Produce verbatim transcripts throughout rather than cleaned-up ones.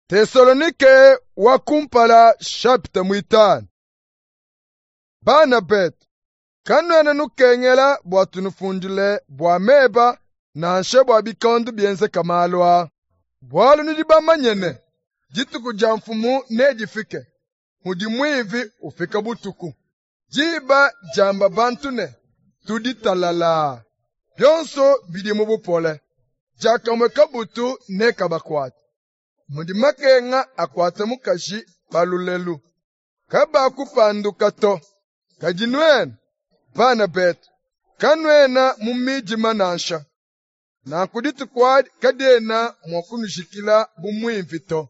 Tesalonike wa kumpala chapitre muitanu. Bana betu, kanuena nukengela bua tunufundile bua meba nansha bua bikondo bienzeka malu aa, bualu nudi bamanye ne, dituku dia Mfumu nedifike, mudi muivi ufika butuku. Diba diamba bantu ne, tudi talalaa, bionso bidi mu bupole, diakamue kabutu nekabakuate. Mudi makenga akuata mukaji pa lulelu, kabakupanduka to. Kadi nuenu, bana betu, kanuena mu midima nansha, nanku dituku adi kadiena mua kunujikila bu muivi to.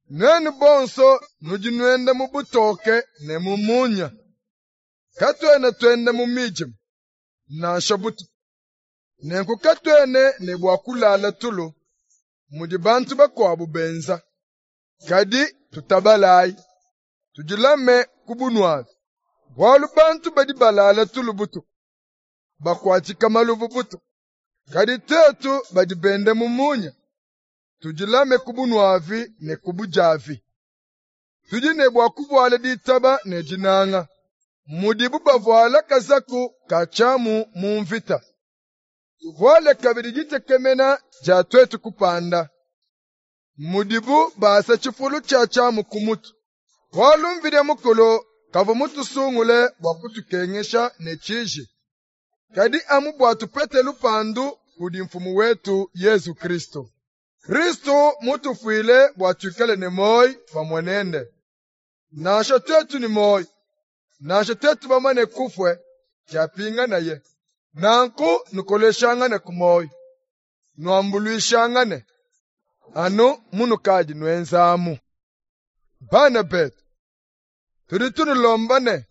Nuenu bonso nudi nuenda mu butoke ne mu munya. Katuena tuenda mu midima, nansha butuku. Nenku katuena ne bua kulala tulu, mudi bantu bakuabu benza. Kadi tutabalayi, tudilame ku bunuavi. Bualu bantu badi balala tulu butuku, bakuatshika maluvu butuku. Kadi tuetu badi benda mu munya, tudilame ku bunuavi ne ku budiavi. Tudi ne bua kuvuala ditaba ne dinanga, mudibu bavuala kazaku ka tshiamu mu mvita. Tuvuale kabidi ditekemena dia tuetu kupanda, mudibu basa tshifulu tshia tshiamu ku mutu. Bualu Mvidi Mukulu kavua mutusungule bua kutukengesha ne tshiji, kadi amu bua tupete lupandu kudi Mfumu wetu Yezu Kristo. Kristo mutufuile bua tuikale ne muoyo pamue nende. Nansha tuetu ne muoyo, nansha tuetu bamane kufue, diapinganaye. Nanku nukoleshangane ku muoyo, nuambuluishangane, anu munukadi nuenzamu. Bana betu, tudi tunulomba ne,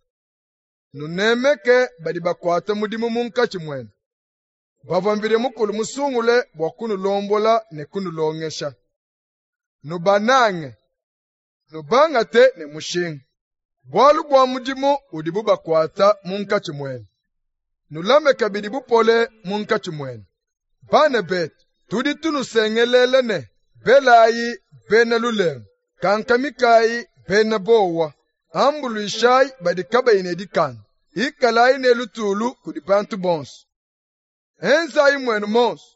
nunemeke badi bakuata mudimu munkatshi muenu, bavua Mvidi Mukulu musungule bua kunulombola ne kunulongesha. Nubanange, nubangate ne mushinga, bualu bua mudimu udibu bakuata munkatshi muenu. Nulame kabidi bupole munkatshi muenu. Bana betu, tudi tunusengelela ne, belayi bena lulengu, kankamikayi bena bowa, ambuluishayi badi kabayi ne dikanda, ikalayi ne lutulu kudi bantu bonso. Enzayi muenu monso,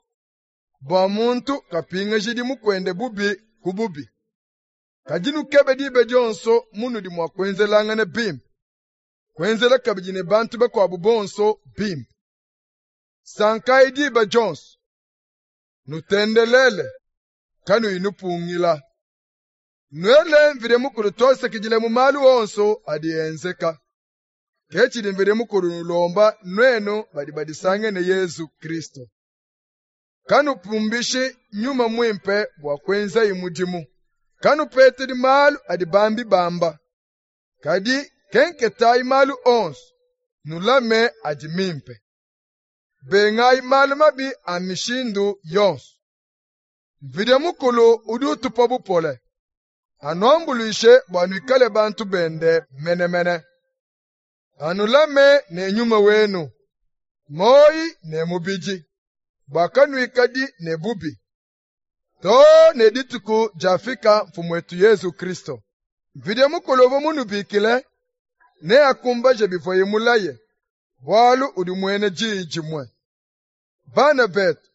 bua muntu kapingajidi mukuende bubi ku bubi. Kadi nukebe diba dionso munudi mua kuenzelangana bimpe, kuenzela kabidi ne bantu bakuabu bonso bimpe. Sankayi diba dionso, nutendelele, kanuyi nupungila. Nuele Mvidi Mukulu tuasakidila mu malu onso adi enzeka. Ke tshidi Mvidi Mukulu nulomba nuenu badi badisange ne Yezu Kristo. Kanupumbishi Nyuma Muimpe bua kuenzayi mudimu. Kanupetedi malu adi bambi bamba. Kadi kenketayi malu onso, nulame adi mimpe. Bengayi malu mabi a mishindu yonso. Mvidi Mukulu udi utupa bupole, anuambuluishe bua nuikale bantu bende menemene. Anulame ne nyuma wenu, muoyo ne mubidi, bua kanuikadi ne bubi, too ne dituku diafika Mfumu wetu Yezu Kristo. Mvidi Mukulu uvua munubikile, neakumbaje bivuaye mulaye, bualu udi muena diyi dimue. Bana betu,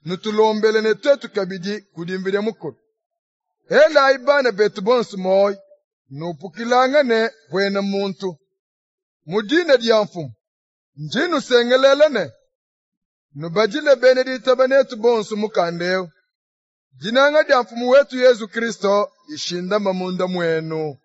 nutulombele ne tuetu kabidi kudi Mvidi Mukulu. Elayi bana betu bonso muoyo, nupukilangane buena muntu. Mu dina dia Mfumu, ndi nusengelela ne, nubadile bena ditaba netu bonso mukanda eu. Dinanga dia Mfumu wetu Yezu Kristo dishindame munda muenu.